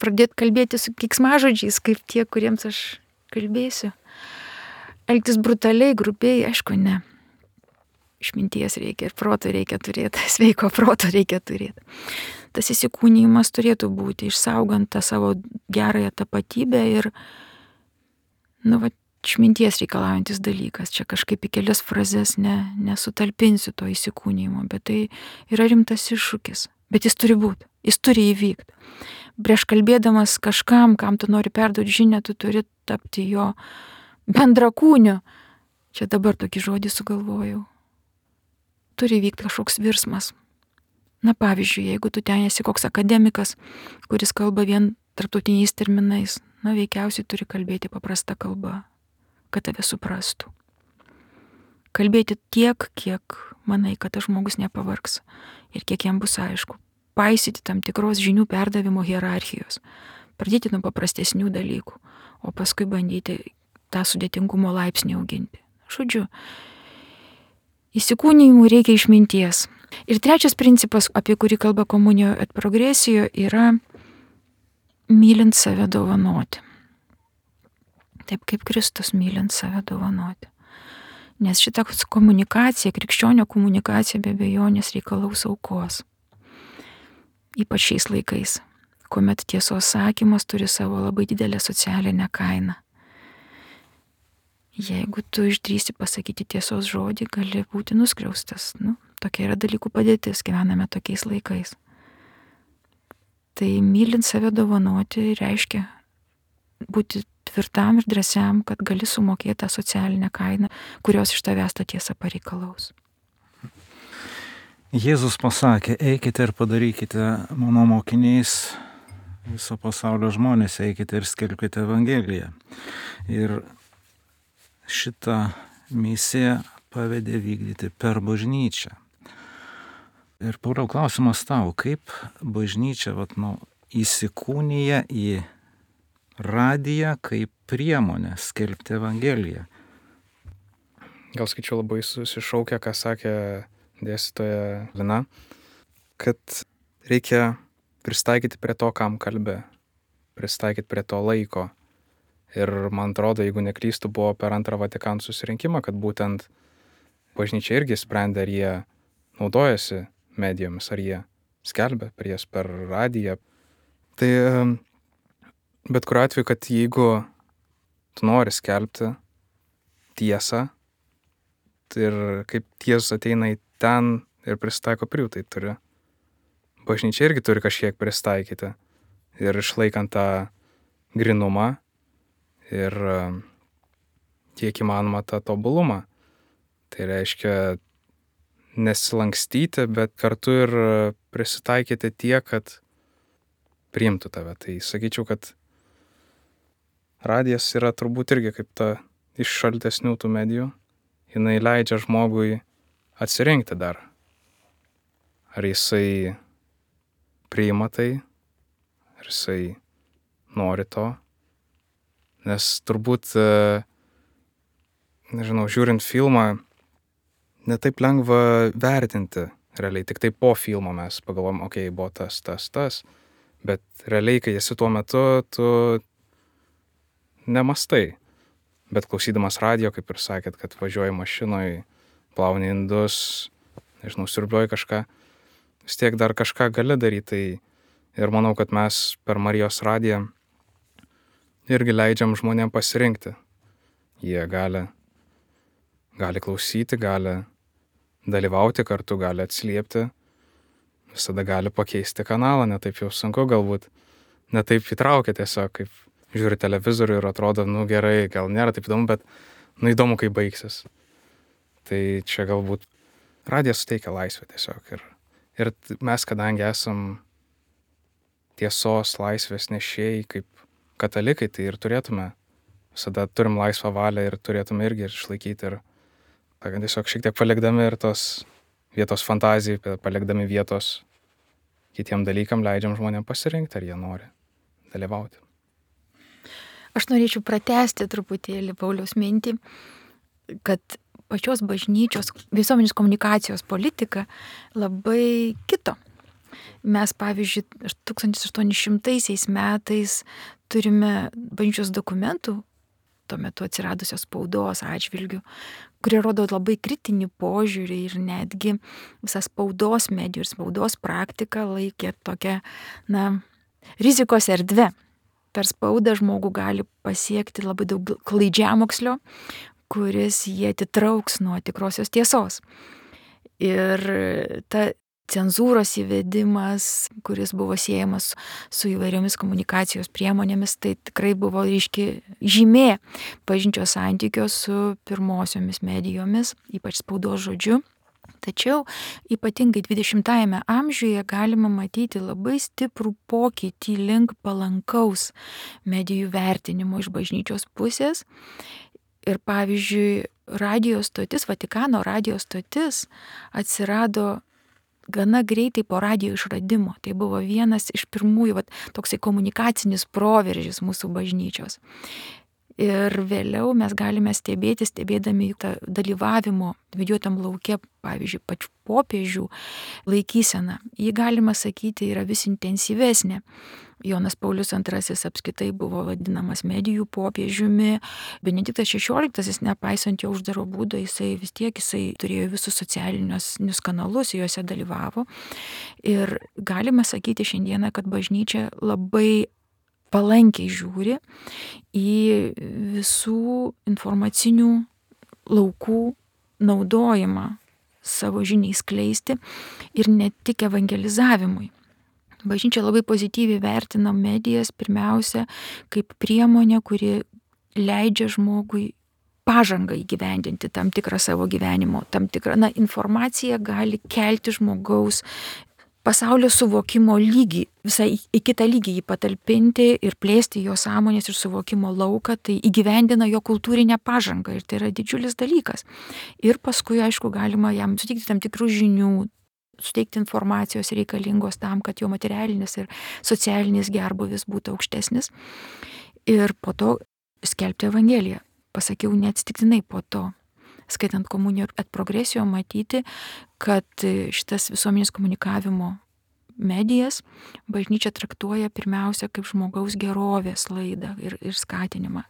Pradėti kalbėti su keiksmažodžiais, kaip tie, kuriems aš kalbėsiu? Elgtis brutaliai, grubiai, aišku, ne. Išminties reikia ir proto reikia turėti, sveiko proto reikia turėti. Tas įsikūnijimas turėtų būti, išsaugant tą savo gerąją tapatybę ir išminties reikalaujantis dalykas. Čia kažkaip į kelias frazes nesutalpinsiu to įsikūnijimo, bet tai yra rimtas iššūkis. Bet jis turi būti, jis turi įvykti. Prieš kalbėdamas kažkam, kam tu nori perduoti žinią, tu turi tapti jo bendrakūniu. Čia dabar tokį žodį sugalvojau. Turi įvykti kažkoks virsmas. Pavyzdžiui, jeigu tu ten esi koks akademikas, kuris kalba vien tarptautiniais terminais, veikiausiai turi kalbėti paprasta kalba, kad tave suprastų. Kalbėti tiek, kiek manai, kad tas žmogus nepavargs ir kiek jam bus aišku. Paisyti tam tikros žinių perdavimo hierarchijos. Pradėti nuo paprastesnių dalykų, o paskui bandyti tą sudėtingumo laipsnį auginti. Žodžiu, įsikūnijimui reikia išminties. Ir trečias principas, apie kurį kalba komunijos et progresijo, yra mylint save dovanoti. Taip kaip Kristus mylint save dovanoti. Nes šita komunikacija, krikščionio komunikacija be abejonės reikalaus aukos. Ypač šiais laikais, kuomet tiesos sakymas turi savo labai didelę socialinę kainą. Jeigu tu išdrįsi pasakyti tiesos žodį, gali būti nuskriaustas. Tokia yra dalykų padėtis, gyvename tokiais laikais. Tai mylint save dovanoti reiškia būti tvirtam ir drąsiam, kad gali sumokėti tą socialinę kainą, kurios iš tavęs ta tiesa pareikalaus. Jėzus pasakė, eikite ir padarykite mano mokiniais viso pasaulio žmonės, eikite ir skelbkite Evangeliją. Ir šitą misiją pavedė vykdyti per bažnyčią. Ir Pauliau, klausimas tau, kaip bažnyčia įsikūnija į radiją kaip priemonę skelbti Evangeliją? Gal skaičiu labai susišaukę, ką sakė dėstytoja Lina, kad reikia pristaikyti prie to, kam kalbė, pristaikyti prie to laiko. Ir man atrodo, jeigu neklystu, buvo per antrą Vatikano susirinkimą, kad būtent bažnyčia irgi sprendė, ar jie naudojasi medijomis, ar jie skelbia jas per radiją. Tai bet kuriuo atveju, kad jeigu tu nori skelbti tiesą, tai ir kaip tiesa ateina į ten ir pristaiko prie jų, tai turi. Bažnyčia irgi turi kažkiek pristaikyti ir išlaikant tą grinumą ir kiek įmanoma tą tobulumą. Tai reiškia nesilankstyti, bet kartu ir prisitaikyti tiek, kad priimtų tave. Tai sakyčiau, kad radijas yra turbūt irgi kaip ta iš šaltesnių tų medijų. Jinai leidžia žmogui atsirinkti dar. Ar jisai priima tai, ar jisai nori to. Nes turbūt, žiūrint filmą, netaip lengva vertinti realiai. Tik tai po filmo mes pagalvom, buvo tas. Bet realiai, kai esi tuo metu, tu nemastai. Bet klausydamas radijo, kaip ir sakėt, kad važiuoji mašinoje, plauni indus, siurbliuoji kažką, vis tiek dar kažką gali daryti. Tai ir manau, kad mes per Marijos radiją irgi leidžiam žmonėm pasirinkti. Jie gali klausyti, gali dalyvauti kartu, gali atsiliepti, visada gali pakeisti kanalą, netaip jau sunku galbūt, netaip įtraukia tiesiog, kaip žiūri televizorių ir atrodo, gerai, gal nėra taip įdomu, bet įdomu, kaip baigsis. Tai čia galbūt radijas suteikia laisvę tiesiog. Ir mes, kadangi esam tiesos laisvės nešėjai kaip katalikai, tai ir turėtume, visada turim laisvą valią ir turėtume irgi išlaikyti ir tiesiog šiek tiek palikdami ir tos vietos fantazijai, palikdami vietos kitiem dalykam, leidžiam žmonėm pasirinkti, ar jie nori dalyvauti. Aš norėčiau pratęsti truputėlį Pauliaus mintį, kad pačios bažnyčios visuomenės komunikacijos politika labai kito. Mes, pavyzdžiui, 1800 metais turime bažnyčios dokumentų, tuo metu atsiradusios spaudos atžvilgių, kurie rodo labai kritinį požiūrį ir netgi visas spaudos medijų ir spaudos praktika laikė tokia, rizikos erdve. Per spaudą žmogų gali pasiekti labai daug klaidžiamokslio, kuris jie atitrauks nuo tikrosios tiesos. Ir ta cenzūros įvedimas, kuris buvo siejamas su įvairiomis komunikacijos priemonėmis, tai tikrai buvo ryški žymė bažnyčios santykio su pirmosiomis medijomis, ypač spaudos žodžiu. Tačiau ypatingai 20-ajame amžiuje galima matyti labai stiprų pokytį link palankaus medijų vertinimo iš bažnyčios pusės. Ir pavyzdžiui, radijo stotis, Vatikano radijo stotis atsirado gana greitai po radijo išradimo. Tai buvo vienas iš pirmųjų toksai komunikacinis proveržis mūsų bažnyčios. Ir vėliau mes galime stebėdami tą dalyvavimo didžiuotam lauke, pavyzdžiui, pačių popiežių laikyseną. Ji, galima sakyti, yra vis intensyvesnė. Jonas Paulius II apskritai buvo vadinamas medijų popiežiumi. Benediktas XVI, nepaisant jo uždaro būdo, jisai turėjo visus socialinius kanalus, juose dalyvavo. Ir galima sakyti šiandieną, kad bažnyčia labai palankiai žiūri į visų informacinių laukų naudojimą savo žiniai skleisti ir ne tik evangelizavimui. Bažnyčia labai pozityviai vertina medijas pirmiausia kaip priemonė, kuri leidžia žmogui pažangą įgyvendinti tam tikrą savo gyvenimo, tam tikrą, informacija gali kelti žmogaus pasaulio suvokimo lygį, visai į kitą lygį jį patalpinti ir plėsti jo sąmonės ir suvokimo lauką, tai įgyvendina jo kultūrinę pažangą ir tai yra didžiulis dalykas. Ir paskui, aišku, galima jam suteikti tam tikrų žinių, suteikti informacijos reikalingos tam, kad jo materialinis ir socialinis gerbūvis būtų aukštesnis. Ir po to skelbti Evangeliją. Pasakiau neatsitiktinai po to, skaitant komuniją et progresijo, matyti, kad šitas visuomenės komunikavimo medijas bažnyčia traktuoja pirmiausia kaip žmogaus gerovės laidą ir skatinimą.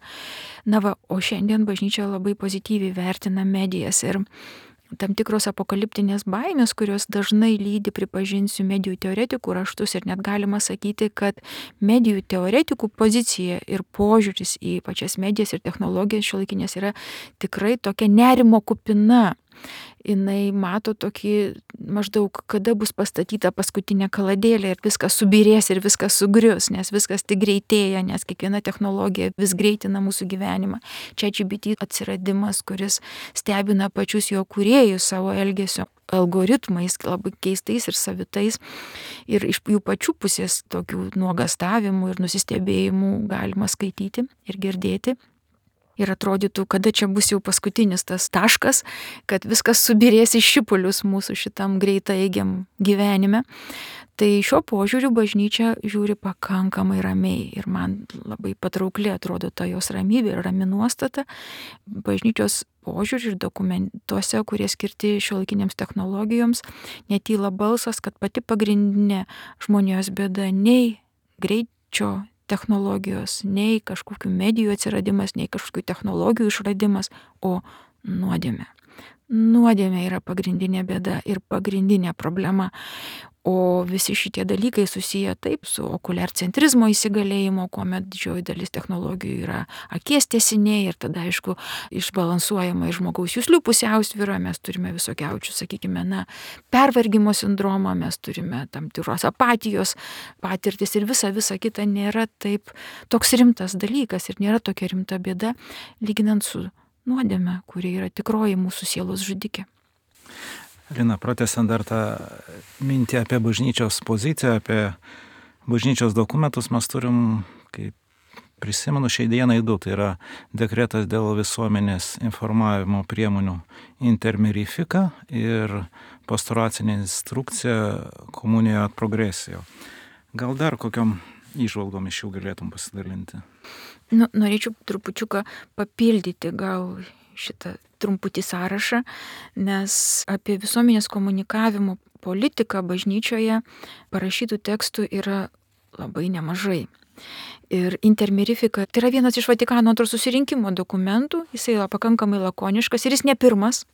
O šiandien bažnyčia labai pozityviai vertina medijas ir tam tikros apokaliptinės baimės, kurios dažnai lydi, pripažinsiu, medijų teoretikų raštus ir net galima sakyti, kad medijų teoretikų pozicija ir požiūris į pačias medijas ir technologijas šiuolaikinės yra tikrai tokia nerimo kupina. Jinai mato tokį maždaug, kada bus pastatyta paskutinė kaladėlė ir viskas subirės ir viskas sugrius, nes viskas tik greitėja, nes kiekviena technologija vis greitina mūsų gyvenimą. ChatGPT atsiradimas, kuris stebina pačius jo kūrėjus savo elgesio algoritmais, labai keistais ir savitais. Ir iš jų pačių pusės tokių nuogastavimų ir nusistebėjimų galima skaityti ir girdėti. Ir atrodytų, kada čia bus jau paskutinis tas taškas, kad viskas subirės į šipulius mūsų šitam greitaigiam gyvenime. Tai šiuo požiūriu bažnyčia žiūri pakankamai ramiai ir man labai patraukli atrodo ta jos ramybė ir rami nuostata. Bažnyčios požiūrį ir dokumentuose, kurie skirti šiuolaikinėms technologijoms, netyla balsas, kad pati pagrindinė žmonijos bėda nei greičio technologijos, nei kažkokių medijų atsiradimas, nei kažkokių technologijų išradimas, o nuodėmė. Nuodėmė yra pagrindinė bėda ir pagrindinė problema. O visi šitie dalykai susiję taip su okuliarcentrizmo įsigalėjimo, kuomet didžioji dalis technologijų yra akies tęsiniai ir tada, aišku, išbalansuojama ir žmogaus juslių pusiausvyra, mes turime visokiausių, sakykime, pervargimo sindromą, mes turime tam tikros apatijos patirtis ir visa kita nėra taip toks rimtas dalykas ir nėra tokia rimta bėda, lyginant su nuodėme, kuri yra tikroji mūsų sielos žudikė. Lina, pratęsiant dar tą mintį apie bažnyčios poziciją, apie bažnyčios dokumentus, mes turim, kaip prisimenu, šiai dienai du, tai yra dekretas dėl visuomenės informavimo priemonių intermirifika ir pastoracinė instrukcija komunijo et progresijo. Gal dar kokiom įžvalgom iš jų galėtum pasidalinti? Norėčiau trupučiuką papildyti gal šitą trumputį sąrašą, nes apie visuomenės komunikavimo politiką bažnyčioje parašytų tekstų yra labai nemažai. Ir intermirifika tai yra vienas iš Vatikano II susirinkimo dokumentų, jis yra pakankamai lakoniškas ir jis ne pirmas,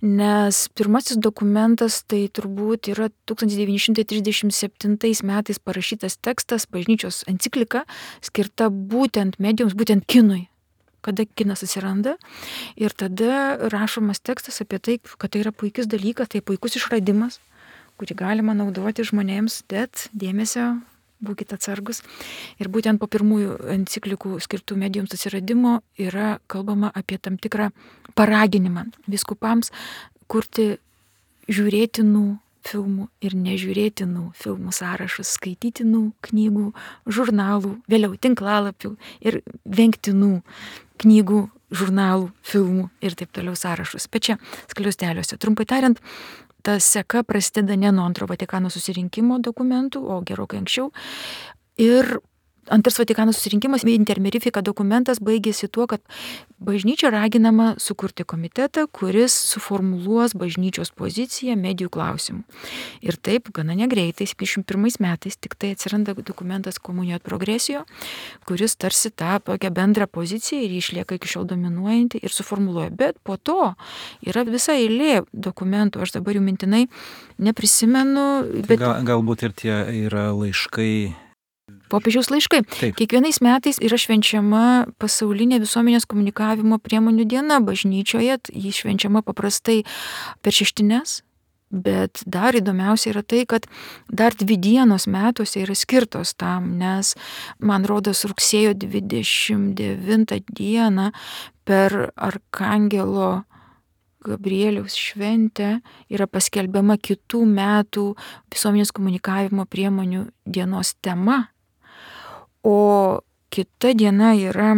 nes pirmasis dokumentas tai turbūt yra 1937 metais parašytas tekstas, bažnyčios enciklika, skirta būtent medijoms, būtent kinui. Kada kinas atsiranda ir tada rašomas tekstas apie tai, kad tai yra puikis dalykas, tai puikus išradimas, kurį galima naudoti žmonėms, bet dėmesio, būkite atsargus. Ir būtent po pirmųjų enciklikų skirtų medijoms atsiradimo yra kalbama apie tam tikrą paraginimą vyskupams kurti žiūrėtinų filmų ir nežiūrėtinų filmų sąrašus, skaitytinų knygų, žurnalų, vėliau tinklalapių ir vengtinų knygų, žurnalų, filmų ir taip toliau sąrašus. Bet čia skliausteliuose. Trumpai tariant, ta seka prasideda ne nuo antro Vatikano susirinkimo dokumentų, o gerokai anksčiau. Ir antras Vatikano susirinkimas, intermirifika dokumentas baigėsi tuo, kad bažnyčia raginama sukurti komitetą, kuris suformuluos bažnyčios poziciją medijų klausimų. Ir taip, gana negreitai, 71 metais tik tai atsiranda dokumentas komunijo et progresijo, kuris tarsi tą tokią bendrą poziciją ir išlieka iki šiol dominuojanti ir suformuluoja. Bet po to yra visa eilė dokumentų, aš dabar jų mintinai neprisimenu. Bet... Galbūt ir tie yra laiškai. Popiežiaus laiškai. Taip. Kiekvienais metais yra švenčiama pasaulinė visuomenės komunikavimo priemonių diena bažnyčioje. Ji švenčiama paprastai per šeštines Bet dar įdomiausia yra tai, kad dar 2 dienos metuose yra skirtos tam, nes man rodos rugsėjo 29 dieną per Arkangelo Gabrieliaus šventę yra paskelbiama kitų metų visuomenės komunikavimo priemonių dienos tema. O kita diena yra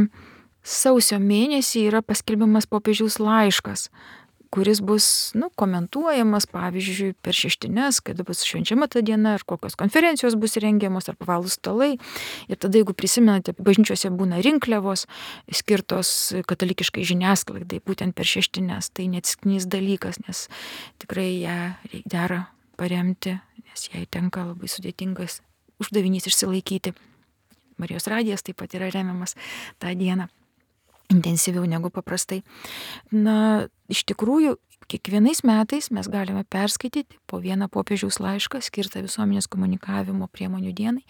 sausio mėnesį yra paskelbiamas popiežiaus laiškas, kuris bus komentuojamas, pavyzdžiui, per šeštines, kada bus švenčiama ta diena, ar kokios konferencijos bus rengiamos, ar pavalgų stalai. Ir tada, jeigu prisimenate, bažnyčiose būna rinkliavos skirtos katalikiškai žiniasklaidai, būtent per šeštines. Tai neatsitiktinis dalykas, nes tikrai ją dera paremti, nes jai tenka labai sudėtingas uždavinys išsilaikyti. Marijos radijas taip pat yra remiamas tą dieną intensyviau negu paprastai. Iš tikrųjų, kiekvienais metais mes galime perskaityti po vieną popiežiaus laišką skirtą visuomenės komunikavimo priemonių dienai.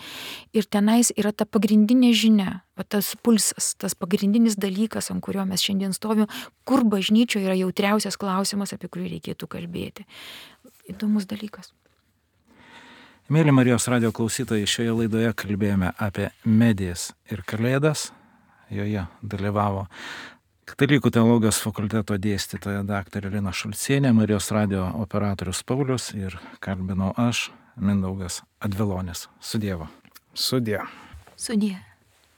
Ir tenais yra ta pagrindinė žinia, tas pulsas, tas pagrindinis dalykas, ant kurio mes šiandien stovime, kur bažnyčioje yra jautriausias klausimas, apie kurį reikėtų kalbėti. Įdomus dalykas. Mėly Marijos radijo klausytojai, šioje laidoje kalbėjome apie medijas ir kalėdas. Joje dalyvavo Katalikų teologijos fakulteto dėstytoja daktarė Lina Šulcienė, Marijos radijo operatorius Paulius ir kalbinau aš, Mindaugas Advilonis. Sudievo. Sudie. Sudie.